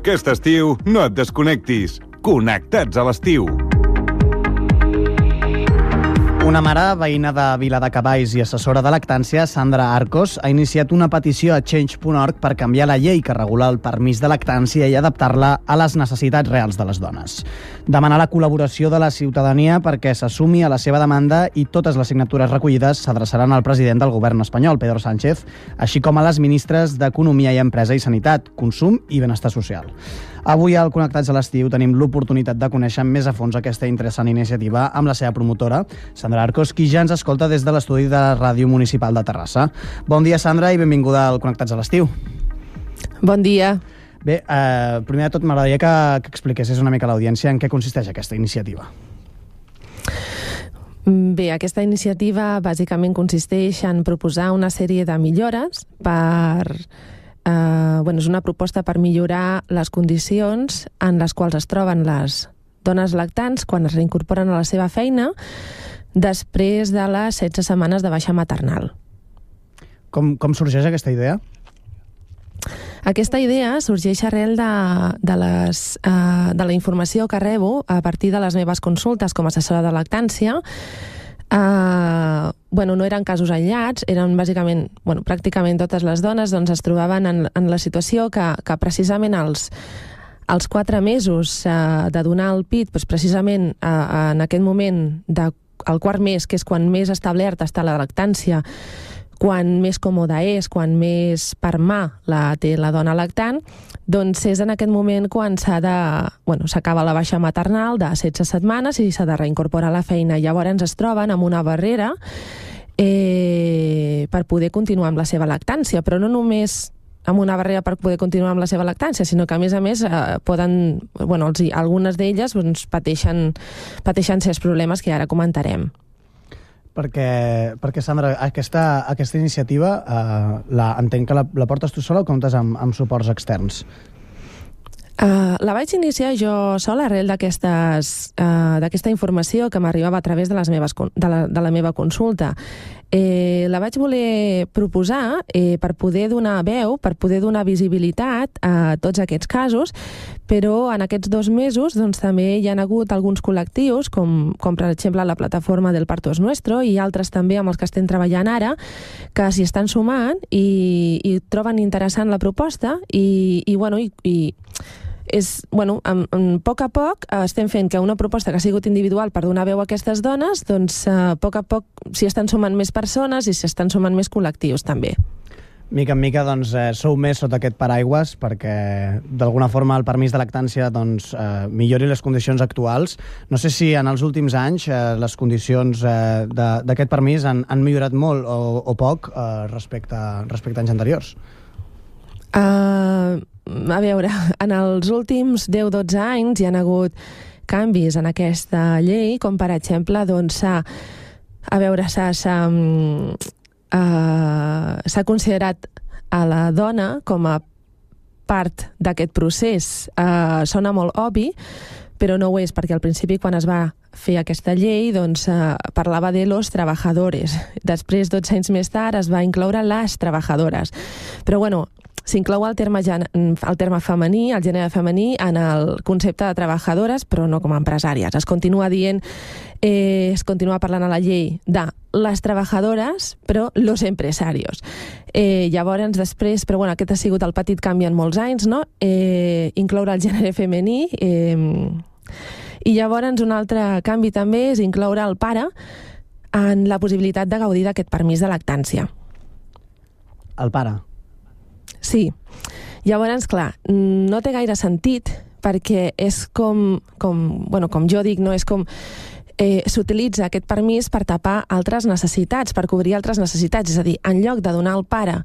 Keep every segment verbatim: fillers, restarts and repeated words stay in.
Aquest estiu no et desconnectis. Connectats a l'estiu. Una mare, veïna de Viladecavalls i assessora de lactància, Sandra Arcos, ha iniciat una petició a change punt org per canviar la llei que regula el permís de lactància i adaptar-la a les necessitats reals de les dones. Demanar la col·laboració de la ciutadania perquè s'assumi a la seva demanda i totes les signatures recollides s'adreçaran al president del govern espanyol, Pedro Sánchez, així com a les ministres d'Economia i Empresa i Sanitat, Consum i Benestar Social. Avui al Connectats a l'Estiu tenim l'oportunitat de conèixer més a fons aquesta interessant iniciativa amb la seva promotora, Sandra Arcos, qui ja ens escolta des de l'estudi de la Ràdio Municipal de Terrassa. Bon dia, Sandra, i benvinguda al Connectats a l'Estiu. Bon dia. Bé, eh, primer de tot m'agradaria que, que expliquessis una mica a l'audiència en què consisteix aquesta iniciativa. Bé, aquesta iniciativa bàsicament consisteix en proposar una sèrie de millores per... Uh, bueno, és una proposta per millorar les condicions en les quals es troben les dones lactants quan es reincorporen a la seva feina després de les setze setmanes de baixa maternal. Com, com sorgeix aquesta idea? Aquesta idea sorgeix arrel de, de, les, uh, de la informació que rebo a partir de les meves consultes com a assessora de lactància. Uh, bueno, no eren casos aïllats, eren bàsicament, bueno, pràcticament totes les dones doncs, es trobaven en, en la situació que, que precisament als, als quatre mesos uh, de donar el pit, doncs precisament uh, en aquest moment, de, el quart mes, que és quan més establerta està la lactància, quan més còmoda és, quan més per mà la té la dona lactant, doncs és en aquest moment quan s'ha de, bueno, s'acaba la baixa maternal de setze setmanes i s'ha de reincorporar a la feina. Llavors es troben amb una barrera eh, per poder continuar amb la seva lactància, però no només amb una barrera per poder continuar amb la seva lactància, sinó que a més a més eh, poden, bueno, els, algunes d'elles doncs, pateixen, pateixen certs problemes que ara comentarem. Perquè, perquè Sandra, aquesta, aquesta iniciativa eh, la, entenc que la, la portes tu sola o comptes amb, amb suports externs? Uh, la vaig iniciar jo sola arrel d'aquestes, uh, d'aquesta informació que m'arribava a través de, les meves, de, la, de la meva consulta. Eh, la vaig voler proposar eh, per poder donar veu, per poder donar visibilitat a tots aquests casos, però en aquests dos mesos doncs, també hi ha hagut alguns col·lectius, com, com per exemple la plataforma del Parto es Nuestro i altres també amb els que estem treballant ara, que s'hi estan sumant i, i troben interessant la proposta i, i, bueno, i, i és, bueno, en, en poc a poc eh, estem fent que una proposta que ha sigut individual per donar veu a aquestes dones, doncs eh, a poc a poc s'hi estan sumant més persones i s'hi estan sumant més col·lectius també. Mica en mica doncs, eh, sou més sota aquest paraigües perquè d'alguna forma el permís de lactància doncs, eh, millori les condicions actuals. No sé si en els últims anys eh, les condicions eh, d'aquest permís han, han millorat molt o, o poc eh, respecte, respecte a anys anteriors. Uh, a veure, en els últims deu a dotze anys hi ha hagut canvis en aquesta llei, com per exemple, doncs s'ha, a veure, s'ha, s'ha, uh, s'ha considerat a la dona com a part d'aquest procés. Uh, sona molt obvi, però no ho és, perquè al principi quan es va fer aquesta llei doncs, eh, parlava de los trabajadores. Després, dotze anys més tard, es va incloure les trabajadores. Però bueno, s'inclou el terme, el terme femení, el gènere femení, en el concepte de trabajadores, però no com a empresàries. Es continua dient, eh, es continua parlant a la llei de les trabajadores, però los empresarios. Eh, llavors, després, però bueno, aquest ha sigut el petit canvi en molts anys, no? Eh, incloure el gènere femení, eh, i llavors un altre canvi també és incloure el pare en la possibilitat de gaudir d'aquest permís de lactància. El pare? Sí. Llavors, clar, no té gaire sentit perquè és com, com, bueno, com jo dic, no? És com eh, s'utilitza aquest permís per tapar altres necessitats, per cobrir altres necessitats. És a dir, en lloc de donar al pare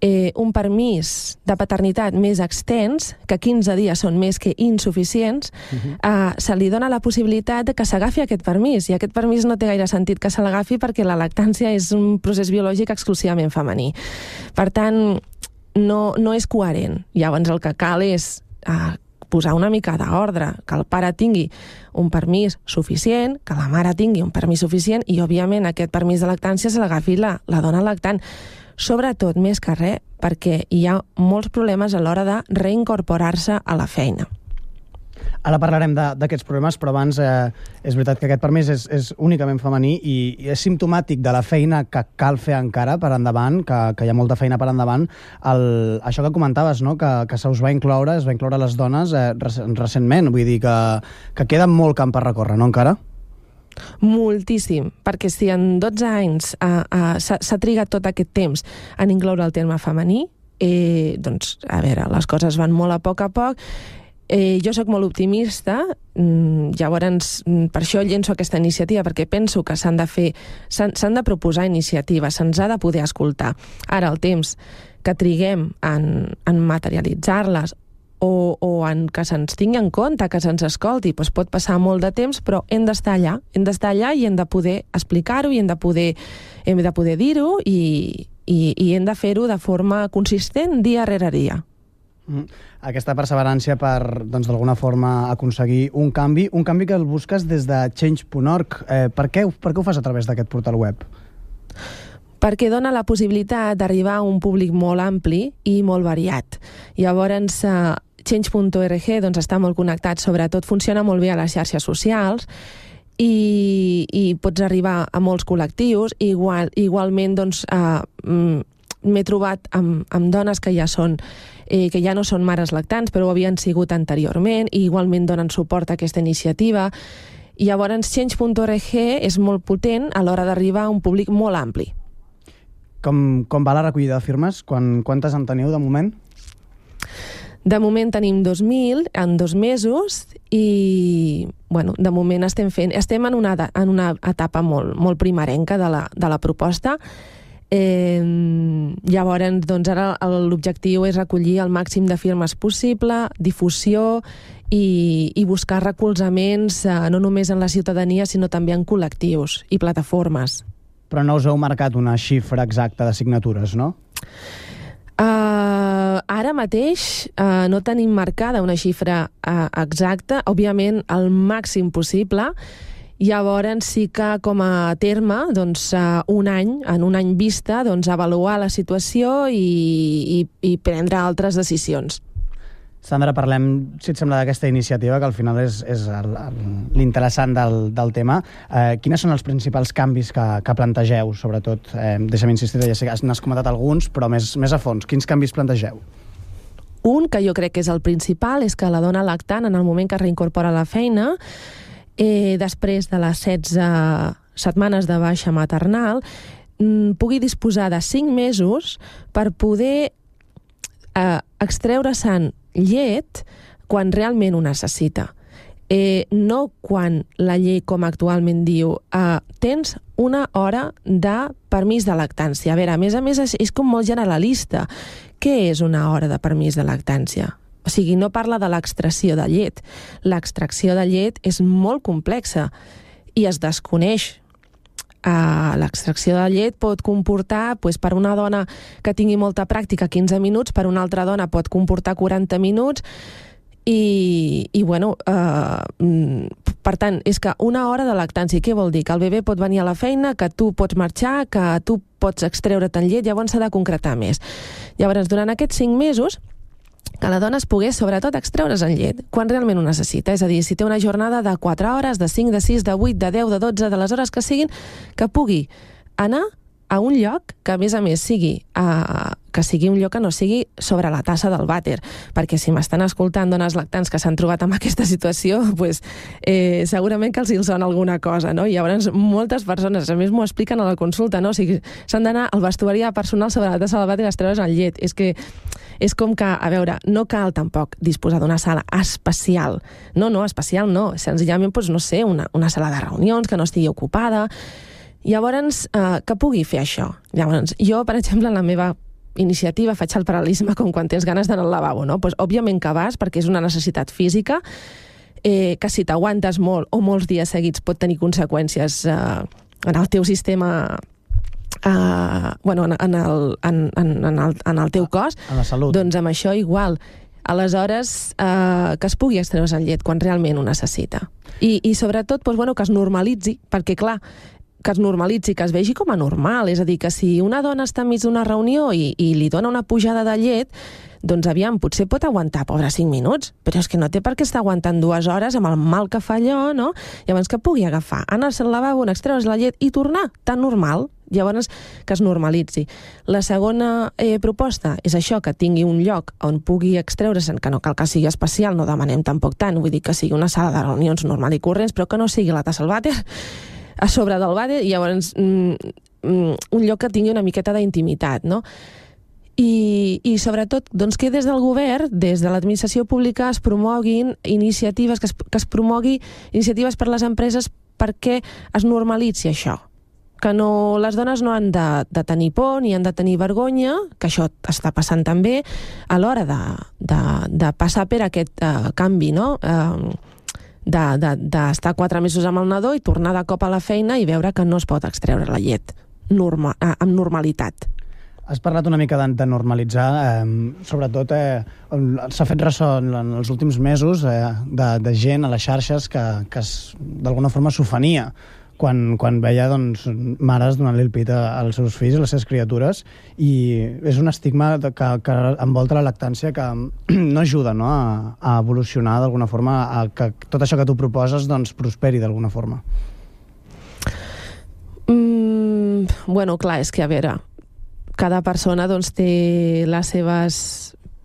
eh, un permís de paternitat més extens, que quinze dies són més que insuficients, uh-huh. eh, se li dona la possibilitat de que s'agafi aquest permís. I aquest permís no té gaire sentit que se l'agafi perquè la lactància és un procés biològic exclusivament femení. Per tant, no, no és coherent. Llavors el que cal és eh, posar una mica d'ordre, que el pare tingui un permís suficient, que la mare tingui un permís suficient i, òbviament, aquest permís de lactància se l'agafi la, la dona lactant. sobretot, més que res, perquè hi ha molts problemes a l'hora de reincorporar-se a la feina. Ara parlarem d'aquests problemes, però abans eh, és veritat que aquest permís és, és únicament femení i, i és simptomàtic de la feina que cal fer encara per endavant, que, que hi ha molta feina per endavant. El, això que comentaves, no? que, que se us va incloure, es va incloure les dones eh, recentment, vull dir que, que queda molt camp per recórrer, no encara? Moltíssim, perquè si en dotze anys eh, eh, s'ha trigat tot aquest temps en incloure el terme femení, eh, doncs, a veure, les coses van molt a poc a poc. Eh, jo sóc molt optimista, mm, llavors mm, per això llenço aquesta iniciativa, perquè penso que s'han de fer, s'han de proposar iniciatives, se'ns ha de poder escoltar. Ara, el temps que triguem en, en materialitzar-les o, o en que se'ns tingui en compte, que se'ns escolti, doncs pot passar molt de temps, però hem d'estar allà, hem d'estar allà i hem de poder explicar-ho i hem de poder, hem de poder dir-ho i, i, i hem de fer-ho de forma consistent dia rere dia. Mm. Aquesta perseverància per, doncs, d'alguna forma aconseguir un canvi, un canvi que el busques des de change punt org. Eh, per, què, per què ho fas a través d'aquest portal web? Perquè dona la possibilitat d'arribar a un públic molt ampli i molt variat. Llavors, eh, change punt org doncs, està molt connectat, sobretot funciona molt bé a les xarxes socials i, i pots arribar a molts col·lectius. Igual, igualment, doncs, eh, m'he trobat amb, amb dones que ja són eh, que ja no són mares lactants, però ho havien sigut anteriorment, i igualment donen suport a aquesta iniciativa. I llavors change punt org és molt potent a l'hora d'arribar a un públic molt ampli. Com, com va la recollida de firmes? Quan, quantes en teniu de moment? De moment tenim dos mil en dos mesos i, bueno, de moment estem fent, estem en una, en una etapa molt, molt primerenca de la, de la proposta. Eh, llavors, doncs ara l'objectiu és recollir el màxim de firmes possible, difusió i, i buscar recolzaments eh, no només en la ciutadania, sinó també en col·lectius i plataformes. Però no us heu marcat una xifra exacta de signatures, no? Uh, ara mateix uh, no tenim marcada una xifra uh, exacta, òbviament el màxim possible. Llavors sí que com a terme, doncs, uh, un any, en un any vista, doncs, avaluar la situació i, i, i prendre altres decisions. Sandra, parlem, si et sembla, d'aquesta iniciativa, que al final és, és l'interessant del, del tema. Eh, quines són els principals canvis que, que plantegeu, sobretot? Eh, deixa'm insistir, ja sé que n'has comentat alguns, però més, més a fons. Quins canvis plantegeu? Un, que jo crec que és el principal, és que la dona lactant, en el moment que es reincorpora a la feina, eh, després de les setze setmanes de baixa maternal, mm, pugui disposar de cinc mesos per poder eh, extreure-se'n llet quan realment ho necessita. Eh, no quan la llei, com actualment diu, eh, tens una hora de permís de lactància. A veure, a més a més, és, és com molt generalista. Què és una hora de permís de lactància? O sigui, no parla de l'extracció de llet. L'extracció de llet és molt complexa i es desconeix. Uh, l'extracció de llet pot comportar, doncs, per una dona que tingui molta pràctica, quinze minuts, per una altra dona pot comportar quaranta minuts, i, i bueno, uh, per tant, és que una hora de lactància, què vol dir? Que el bebè pot venir a la feina, que tu pots marxar, que tu pots extreure't llet, llavors s'ha de concretar més. Llavors, durant aquests cinc mesos, que la dona es pogués, sobretot, extreure's en llet quan realment ho necessita. És a dir, si té una jornada de quatre hores, de cinc, de sis, de vuit, de deu, de dotze, de les hores que siguin, que pugui anar a un lloc que, a més a més, sigui, uh, que sigui un lloc que no sigui sobre la tassa del vàter. Perquè si m'estan escoltant dones lactants que s'han trobat amb aquesta situació, pues, eh, segurament que els hi sona alguna cosa, no? I llavors moltes persones, a més, m'ho expliquen a la consulta, no? O sigui, s'han d'anar al vestuari personal sobre la tassa del vàter i extreure's en llet. És que és com que, a veure, no cal tampoc disposar d'una sala especial. No, no, especial no. Senzillament, doncs, no sé, una, una sala de reunions que no estigui ocupada. Llavors, eh, que pugui fer això. Llavors, jo, per exemple, en la meva iniciativa faig el paral·lelisme com quan tens ganes d'anar al lavabo, no? Pues, òbviament que vas, perquè és una necessitat física, eh, que si t'aguantes molt o molts dies seguits pot tenir conseqüències eh, en el teu sistema, Uh, bueno, en, en, el, en, en, el, en el teu cos, en la salut. Doncs amb això igual. Aleshores, uh, que es pugui extreure's en llet quan realment ho necessita. I, i sobretot, doncs, bueno, que es normalitzi, perquè clar, que es normalitzi, que es vegi com a normal. És a dir, que si una dona està enmig d'una reunió i, i li dona una pujada de llet, doncs aviam, potser pot aguantar, pobra, cinc minuts, però és que no té per què estar aguantant dues hores amb el mal que fa allò, no? Llavors que pugui agafar, anar-se al lavabo, extreure's la llet i tornar, tan normal. Llavors, que es normalitzi. La segona eh, proposta és això, que tingui un lloc on pugui extreure's, que no cal que sigui especial, no demanem tampoc tant, vull dir que sigui una sala de reunions normal i corrents, però que no sigui la tassa al vàter, a sobre del vàter, i llavors mm, mm, un lloc que tingui una miqueta d'intimitat, no? I, i sobretot doncs, que des del govern, des de l'administració pública es promoguin iniciatives, que es, que es promogui iniciatives per les empreses perquè es normalitzi això, que no, les dones no han de, de tenir por ni han de tenir vergonya, que això està passant també a l'hora de, de, de passar per aquest uh, canvi, no? Uh, d'estar de, de, quatre mesos amb el nadó i tornar de cop a la feina i veure que no es pot extreure la llet norma, uh, amb normalitat. Has parlat una mica de, de normalitzar, eh, sobretot eh, s'ha fet ressò en els últims mesos eh, de, de gent a les xarxes que, que d'alguna forma s'ofenia quan, quan veia doncs, mares donant-li el pit als seus fills, a les seves criatures, i és un estigma que, que envolta la lactància que no ajuda, no, a, a evolucionar d'alguna forma, a que tot això que tu proposes doncs, prosperi d'alguna forma. Mm, bueno, clar, és que a veure, cada persona doncs, té les seves,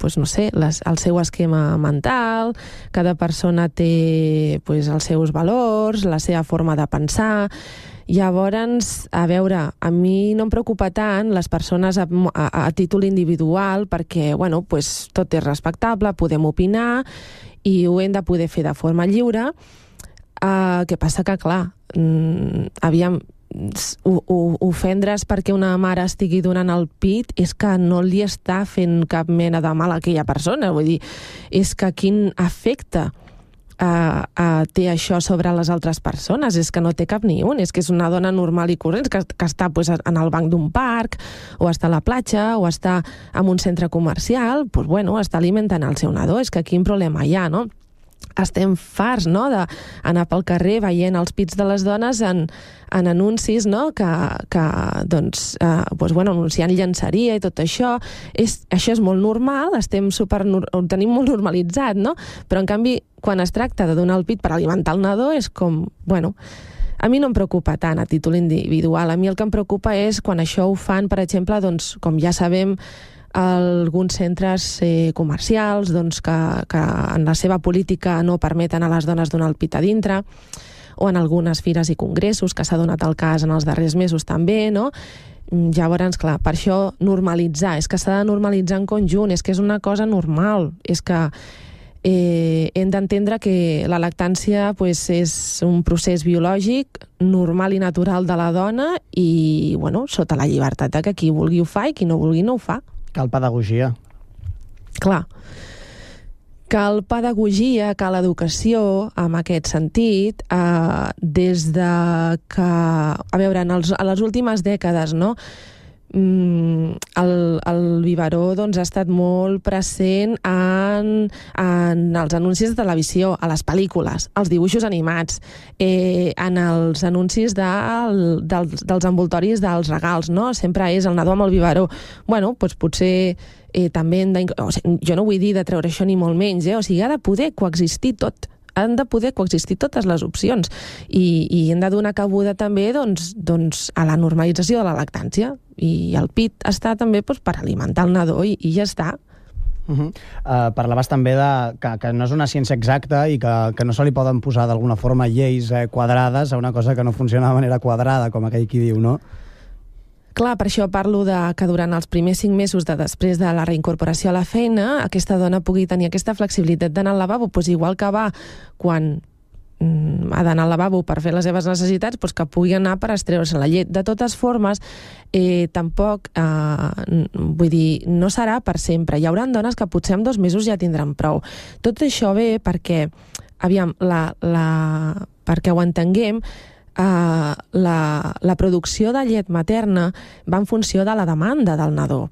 doncs, no sé, les, el seu esquema mental, cada persona té doncs, els seus valors, la seva forma de pensar. Llavors, a veure, a mi no em preocupa tant les persones a, a, a títol individual perquè, bueno, doncs, tot és respectable, podem opinar i ho hem de poder fer de forma lliure. Uh, què passa que, clar, mm, aviam, ofendre's perquè una mare estigui donant el pit és que no li està fent cap mena de mal a aquella persona, vull dir, és que quin efecte uh, uh, té això sobre les altres persones, és que no té cap ni un, és que és una dona normal i corrent que, que està pues, en el banc d'un parc o està a la platja o està en un centre comercial, pues, bueno, està alimentant el seu nadó, és que quin problema hi ha, no? Estem farts, no?, d'anar pel carrer veient els pits de les dones en, en anuncis, no?, que, que doncs, eh, doncs, bueno, anunciant llenceria i tot això. És, això és molt normal, estem super, ho tenim molt normalitzat, no? Però, en canvi, quan es tracta de donar el pit per alimentar el nadó, és com, bueno, a mi no em preocupa tant a títol individual. A mi el que em preocupa és quan això ho fan, per exemple, doncs, com ja sabem, alguns centres eh, comercials doncs, que, que en la seva política no permeten a les dones donar el pit a dintre, o en algunes fires i congressos, que s'ha donat el cas en els darrers mesos també, no? Llavors, clar, per això normalitzar, és que s'ha de normalitzar en conjunt, és que és una cosa normal, és que eh, hem d'entendre que la lactància pues, és un procés biològic normal i natural de la dona i, bueno, sota la llibertat de que qui vulgui ho fa i qui no vulgui no ho fa. Cal pedagogia. Clar. Cal pedagogia, cal educació en aquest sentit, eh, des de que, a veure, en, els, en les últimes dècades, no?, Mm, el, el biberó doncs, ha estat molt present en, en els anuncis de televisió, a les pel·lícules, als dibuixos animats, eh, en els anuncis de, dels, dels envoltoris dels regals, no? Sempre és el nadó amb el biberó. Bueno, doncs potser eh, també hem de... O sigui, jo no vull dir de treure això ni molt menys, eh? O sigui, ha de poder coexistir tot. Han de poder coexistir totes les opcions i, i hem de donar cabuda també doncs, doncs, a la normalització de la lactància i el pit està també doncs, per alimentar el nadó i, i ja està. Uh -huh. uh, parlaves també de que, que no és una ciència exacta i que, que no se li poden posar d'alguna forma lleis eh, quadrades a una cosa que no funciona de manera quadrada, com aquell qui diu, no? Clar, per això parlo de que durant els primers cinc mesos de després de la reincorporació a la feina aquesta dona pugui tenir aquesta flexibilitat d'anar al lavabo, doncs igual que va quan mm, ha d'anar al lavabo per fer les seves necessitats, doncs que pugui anar per extreure's la llet. De totes formes, eh, tampoc, eh, vull dir, no serà per sempre. Hi haurà dones que potser en dos mesos ja tindran prou. Tot això ve perquè, aviam, la, la, perquè ho entenguem, Uh, la, la producció de llet materna va en funció de la demanda del nadó.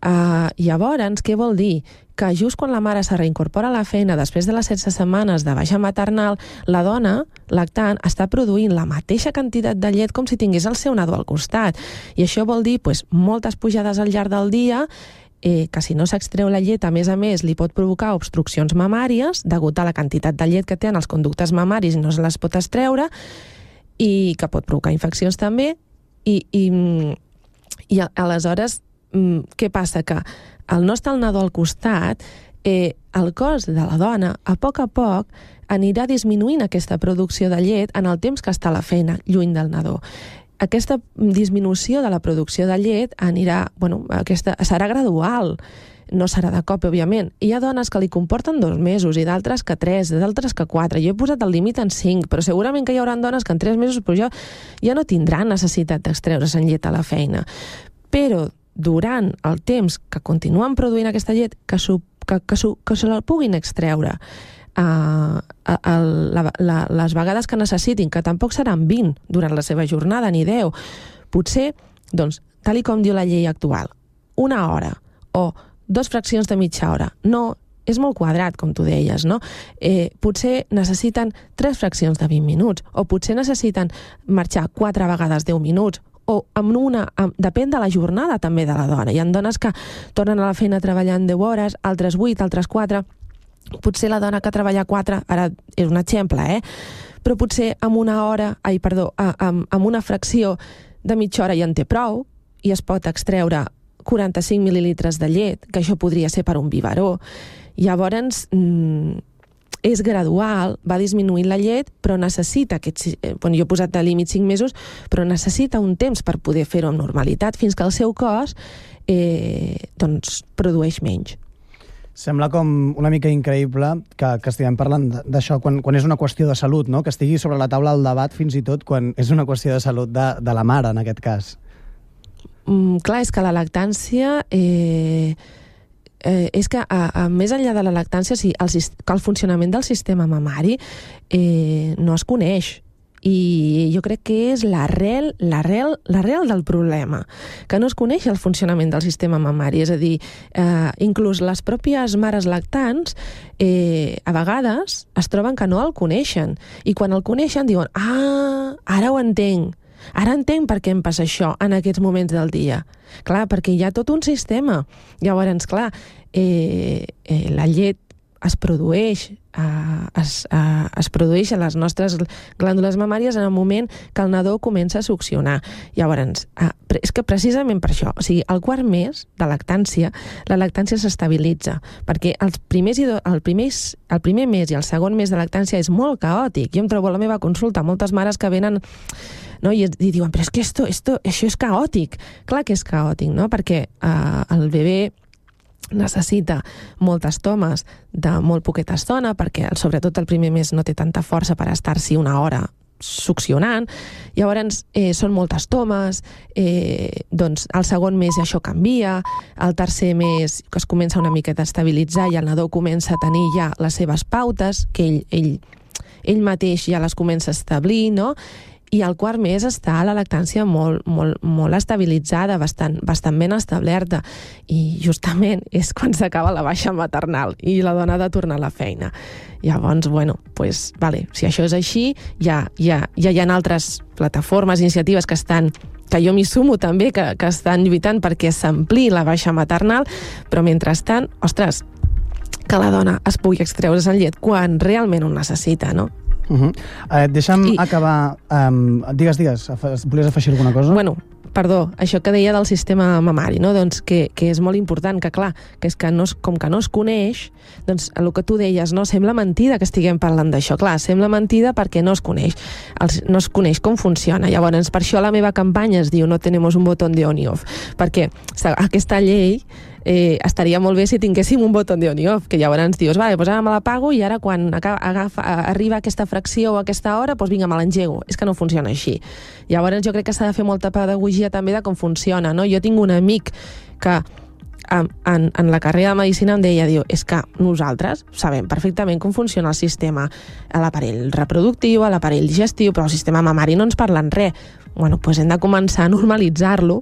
Uh, llavors, què vol dir? Que just quan la mare se reincorpora a la feina després de les setze setmanes de baixa maternal, la dona lactant està produint la mateixa quantitat de llet com si tingués el seu nadó al costat. I això vol dir pues, moltes pujades al llarg del dia, eh, que si no s'extreu la llet, a més a més, li pot provocar obstruccions mamàries degut a la quantitat de llet que tenen els conductes mamaris i no se les pot extreure, i que pot provocar infeccions també. I, i, i aleshores, què passa? Que al no estar el nadó al costat, eh, el cos de la dona, a poc a poc, anirà disminuint aquesta producció de llet en el temps que està a la feina, lluny del nadó. Aquesta disminució de la producció de llet anirà, bueno, aquesta, serà gradual, no serà de cop, òbviament. Hi ha dones que li comporten dos mesos i d'altres que tres, d'altres que quatre. Jo he posat el límit en cinc, però segurament que hi haurà dones que en tres mesos però ja, ja no tindran necessitat d'extreure's en llet a la feina. Però durant el temps que continuen produint aquesta llet, que, su, que, que, su, que se la puguin extreure uh, a, a, la, la, les vegades que necessitin, que tampoc seran vint durant la seva jornada, ni deu. Potser, doncs, tal i com diu la llei actual, una hora o dos fraccions de mitja hora. No, és molt quadrat, com tu deies, no? Eh, potser necessiten tres fraccions de vint minuts, o potser necessiten marxar quatre vegades deu minuts, o amb una, amb, depèn de la jornada també de la dona. Hi ha dones que tornen a la feina treballant deu hores, altres vuit, altres quatre. Potser la dona que treballa quatre, ara és un exemple, eh? Però potser amb una hora, ai, perdó, amb, amb una fracció de mitja hora ja en té prou i es pot extreure quaranta-cinc mil·lilitres de llet, que això podria ser per un biberó. Llavors, mmm, és gradual, va disminuint la llet, però necessita aquests... Bueno, jo he posat de límit cinc mesos, però necessita un temps per poder fer-ho amb normalitat, fins que el seu cos eh, doncs, produeix menys. Sembla com una mica increïble que, que estiguem parlant d'això quan, quan és una qüestió de salut, no? Que estigui sobre la taula el debat fins i tot quan és una qüestió de salut de, de la mare, en aquest cas. Mm, clar, és que la lactància... Eh, Eh, és que, a, a, més enllà de la lactància, sí, el, que el funcionament del sistema mamari eh, no es coneix. I jo crec que és l'arrel l'arrel l'arrel del problema, que no es coneix el funcionament del sistema mamari. És a dir, eh, inclús les pròpies mares lactants eh, a vegades es troben que no el coneixen. I quan el coneixen diuen, ah, ara ho entenc. Ara entenc per què em passa això en aquests moments del dia. Clar, perquè hi ha tot un sistema. Llavors, clar, eh, eh, la llet es produeix, eh, es, eh, es produeix a les nostres glàndules mamàries en el moment que el nadó comença a succionar. Llavors, eh, és que precisament per això, o sigui, al quart mes de lactància, la lactància s'estabilitza, perquè els primers i do, el, primers, el primer mes i el segon mes de lactància és molt caòtic. Jo em trobo a la meva consulta moltes mares que venen, no? I, i diuen, però és que esto, esto, això és caòtic. Clar que és caòtic, no? Perquè eh, el bebè necessita moltes tomes de molt poqueta estona, perquè sobretot el primer mes no té tanta força per estar-s'hi una hora succionant. Llavors eh, són moltes tomes, eh, doncs el segon mes això canvia, el tercer mes que es comença una miqueta a estabilitzar i el nadó comença a tenir ja les seves pautes, que ell, ell, ell mateix ja les comença a establir, no? I al quart mes està la lactància molt, molt, molt estabilitzada, bastant, bastant ben establerta. I justament és quan s'acaba la baixa maternal i la dona ha de tornar a la feina. Llavors, bueno, pues, vale, si això és així, ja, ja, ja hi ha altres plataformes, iniciatives que estan, que jo m'hi sumo també, que, que estan lluitant perquè s'ampliï la baixa maternal, però mentrestant, ostres, que la dona es pugui extreure's en llet quan realment ho necessita, no? Uh -huh. eh, deixa'm I... acabar... Um, digues, digues, volies afegir alguna cosa? Bueno, perdó, això que deia del sistema mamari, no? Doncs que, que és molt important, que clar, que és que no es, com que no es coneix, doncs el que tu deies, no? Sembla mentida que estiguem parlant d'això. Clar, sembla mentida perquè no es coneix. Els, no es coneix com funciona. Llavors, per això la meva campanya es diu No tenemos un botón de on y off, perquè aquesta llei Eh, estaria molt bé si tinguéssim un botó de on i off, que llavors dius, vale, doncs ara me la pago i ara quan agafa, arriba aquesta fracció o aquesta hora, doncs vinga, me l'engego. És que no funciona així. Llavors jo crec que s'ha de fer molta pedagogia també de com funciona, no? Jo tinc un amic que en, en, en la carrera de Medicina em deia, diu, és que nosaltres sabem perfectament com funciona el sistema, a l'aparell reproductiu, a l'aparell digestiu, però el sistema mamari no ens parlen res. Bueno, doncs hem de començar a normalitzar-lo.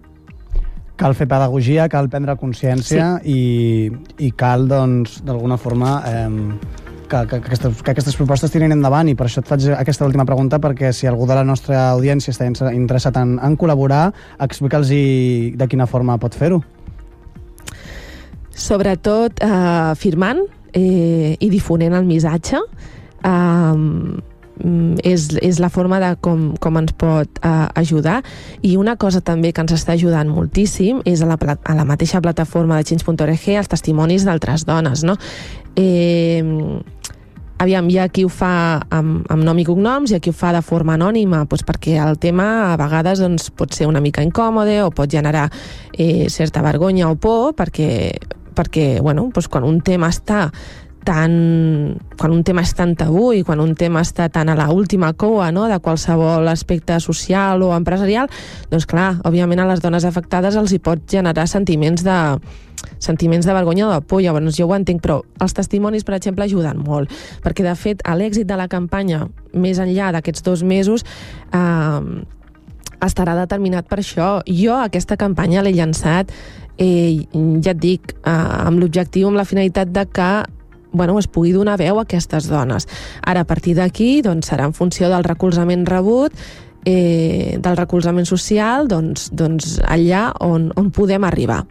cal fer pedagogia, cal prendre consciència sí. i, i cal, doncs, d'alguna forma... Eh, Que, que, aquestes, que aquestes propostes tirin endavant, i per això et faig aquesta última pregunta, perquè si algú de la nostra audiència està interessat en, en col·laborar, explica'ls de quina forma pot fer-ho. Sobretot eh, firmant eh, i difonent el missatge. Eh, és, és la forma de com, com ens pot eh, ajudar. I una cosa també que ens està ajudant moltíssim és a la, a la mateixa plataforma de change punt org els testimonis d'altres dones, no? Eh, aviam, hi ha qui ho fa amb, amb nom i cognoms i hi ha qui ho fa de forma anònima, doncs perquè el tema a vegades doncs, pot ser una mica incòmode o pot generar eh, certa vergonya o por, perquè, perquè bueno, doncs quan un tema està tan, quan un tema és tan tabú i quan un tema està tan a la última cua, no?, de qualsevol aspecte social o empresarial, doncs clar, òbviament a les dones afectades els hi pot generar sentiments de sentiments de vergonya o de por. Llavors jo ho entenc, però els testimonis, per exemple, ajuden molt, perquè de fet l'èxit de la campanya, més enllà d'aquests dos mesos, eh, estarà determinat per això. Jo aquesta campanya l'he llançat, eh, ja et dic, eh, amb l'objectiu, amb la finalitat de que bueno, es pugui donar veu a aquestes dones. Ara, a partir d'aquí, doncs, serà en funció del recolzament rebut, eh, del recolzament social, doncs, doncs allà on, on podem arribar.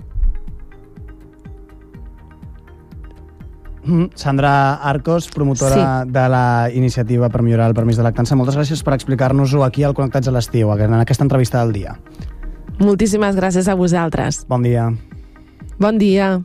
Mm, Sandra Arcos, promotora sí. de la iniciativa per millorar el permís de lactància. Moltes gràcies per explicar-nos-ho aquí al Connectats a l'estiu, en aquesta entrevista del dia. Moltíssimes gràcies a vosaltres. Bon dia. Bon dia.